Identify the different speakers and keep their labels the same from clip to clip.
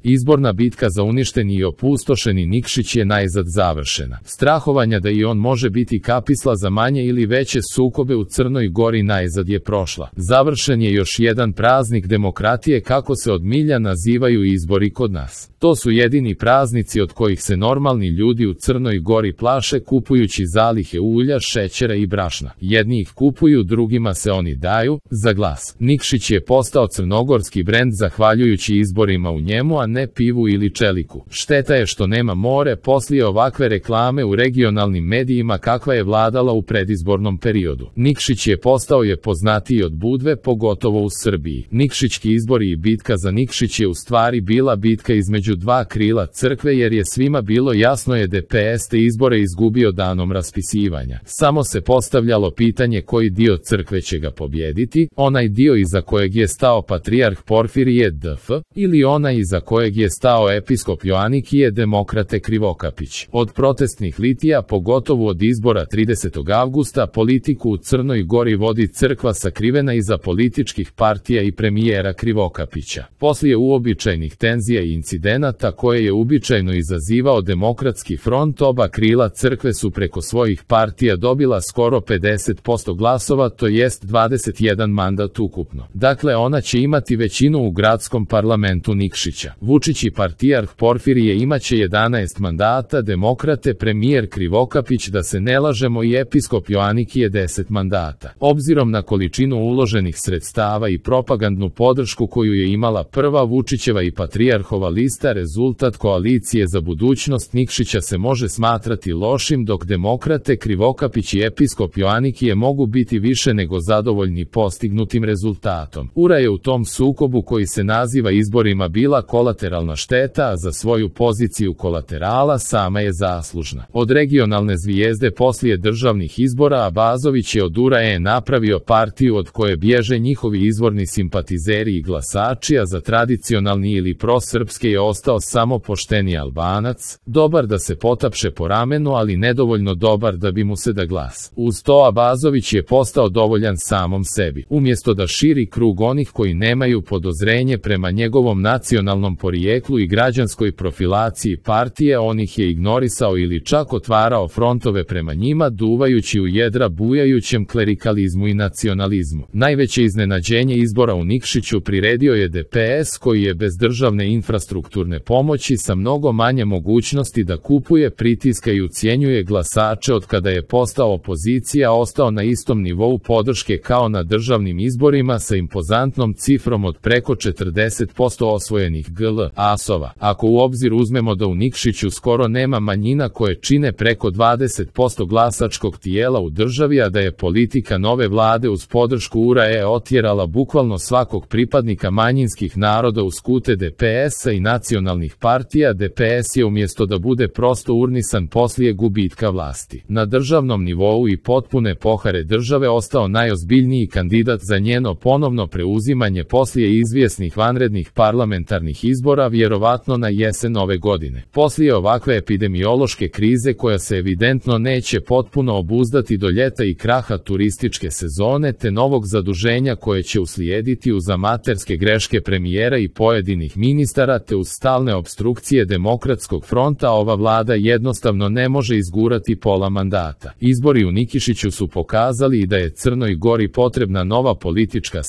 Speaker 1: Izborna bitka za uništeni i opustošeni Nikšić je najzad završena. Strahovanja da i on može biti kapisla za manje ili veće sukobe u Crnoj Gori najzad je prošla. Završen je još jedan praznik demokratije, kako se od milja nazivaju izbori kod nas. To su jedini praznici od kojih se normalni ljudi u Crnoj Gori plaše, kupujući zalihe ulja, šećera i brašna. Jedni ih kupuju, drugima se oni daju za glas. Nikšić je postao crnogorski brend zahvaljujući izborima u njemu, a ne pivu ili čeliku. Šteta je što nema more poslije ovakve reklame u regionalnim medijima kakva je vladala u predizbornom periodu. Nikšić je postao poznatiji od Budve, pogotovo u Srbiji. Nikšićki izbori i bitka za Nikšić je u stvari bila bitka između dva krila crkve, jer je svima bilo jasno je DPS te izbore izgubio danom raspisivanja. Samo se postavljalo pitanje koji dio crkve će ga pobjediti, onaj dio iza kojeg je stao patrijarh Porfirije DF ili onaj iza kojeg je stao episkop Joanikije Demokrate Krivokapić. Od protestnih litija, pogotovo od izbora 30. avgusta, politiku u Crnoj Gori vodi crkva sakrivena iza političkih partija i premijera Krivokapića. Poslije uobičajenih tenzija i incidenata koje je uobičajeno izazivao Demokratski front, oba krila crkve su preko svojih partija dobila skoro 50% glasova, to jest 21 mandat ukupno. Dakle, ona će imati većinu u gradskom parlamentu Nikšića. Vučić i partijarh Porfirije imaće 11 mandata, Demokrate premijer Krivokapić, da se ne lažemo, i episkop Joanikije 10 mandata. Obzirom na količinu uloženih sredstava i propagandnu podršku koju je imala prva Vučićeva i patrijarhova lista, rezultat koalicije za budućnost Nikšića se može smatrati lošim, dok Demokrate Krivokapić i episkop Joanikije mogu biti više nego zadovoljni postignutim rezultatom. Ura je u tom sukobu koji se naziva izborima bila kolateralna šteta, a za svoju poziciju kolaterala sama je zaslužna. Od regionalne zvijezde poslije državnih izbora Abazović je od URA napravio partiju od koje bježe njihovi izvorni simpatizeri i glasači, a za tradicionalni ili prosrpske je ostao samo pošteni Albanac, dobar da se potapše po ramenu, ali nedovoljno dobar da bi mu se da glas. Uz to Abazović je postao dovoljan samom sebi. Umjesto da širi krug onih koji nemaju podozrenje prema njegovom nacionalnom porijeklu i građanskoj profilaciji partije, on ih je ignorisao ili čak otvarao frontove prema njima, duvajući u jedra bujajućem klerikalizmu i nacionalizmu. Najveće iznenađenje izbora u Nikšiću priredio je DPS, koji je bez državne infrastrukturne pomoći sa mnogo manje mogućnosti da kupuje, pritiska i ucjenjuje glasače od kada je postao opozicija, ostao na istom nivou podrške kao na državnim izborima sa impozantnom cifrom od preko 40% osvojenih glasova. Ako u obzir uzmemo da u Nikšiću skoro nema manjina koje čine preko 20% glasačkog tijela u državi, a da je politika nove vlade uz podršku URA otjerala bukvalno svakog pripadnika manjinskih naroda u skute DPS-a i nacionalnih partija, DPS je umjesto da bude prosto urnisan poslije gubitka vlasti na državnom nivou i potpune pohare države ostao najozbiljniji kandidat za njeno ponovno preuzimanje poslije izvjesnih vanrednih parlamentarnih izbora, vjerovatno na jesen ove godine. Poslije ovakve epidemiološke krize koja se evidentno neće potpuno obuzdati do ljeta i kraha turističke sezone te novog zaduženja koje će uslijediti uz amaterske greške premijera i pojedinih ministara te uz stalne opstrukcije Demokratskog fronta, ova vlada jednostavno ne može izgurati pola mandata. Izbori u Nikšiću su pokazali i da je Crnoj Gori potrebna nova politička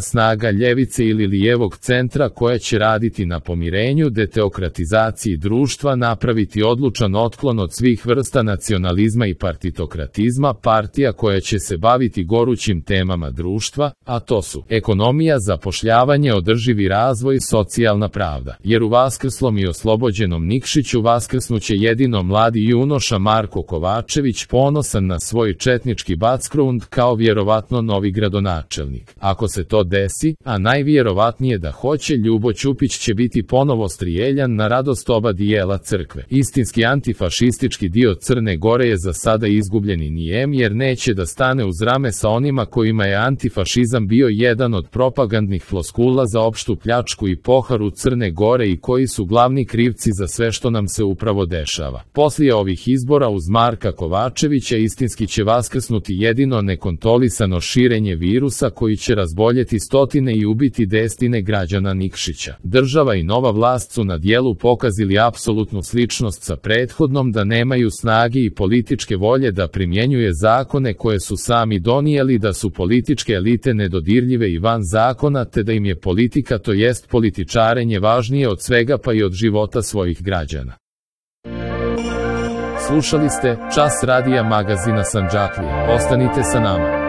Speaker 1: snaga ljevice ili lijevog centra koja će raditi na pomirenju, deteokratizaciji društva, napraviti odlučan otklon od svih vrsta nacionalizma i partitokratizma, partija koja će se baviti gorućim temama društva, a to su ekonomija, zapošljavanje, održivi razvoj, socijalna pravda. Jer u vaskrslom i oslobođenom Nikšiću vaskrsnuće jedino mladi junoša Marko Kovačević, ponosan na svoj četnički background kao vjerovatno novi gradonačelnik. Ako se to desi, a najvjerovatnije da hoće, Ljubo Ćupić će biti ponovo strijeljan na radost oba dijela crkve. Istinski antifašistički dio Crne Gore je za sada izgubljeni nijem, jer neće da stane uz rame sa onima kojima je antifašizam bio jedan od propagandnih floskula za opštu pljačku i poharu Crne Gore i koji su glavni krivci za sve što nam se upravo dešava. Poslije ovih izbora uz Marka Kovačevića istinski će vaskrsnuti jedino nekontrolisano širenje virusa koji će razboljeti stotine i ubiti desetine građana Nikšića. Država država i nova vlast su na dijelu pokazali apsolutnu sličnost sa prethodnom, da nemaju snage i političke volje da primjenjuje zakone koje su sami donijeli, da su političke elite nedodirljive i van zakona, te da im je politika, to jest političarenje, važnije od svega pa i od života svojih građana. Slušali ste Čas radija magazina Sandžaklija. Ostanite sa nama.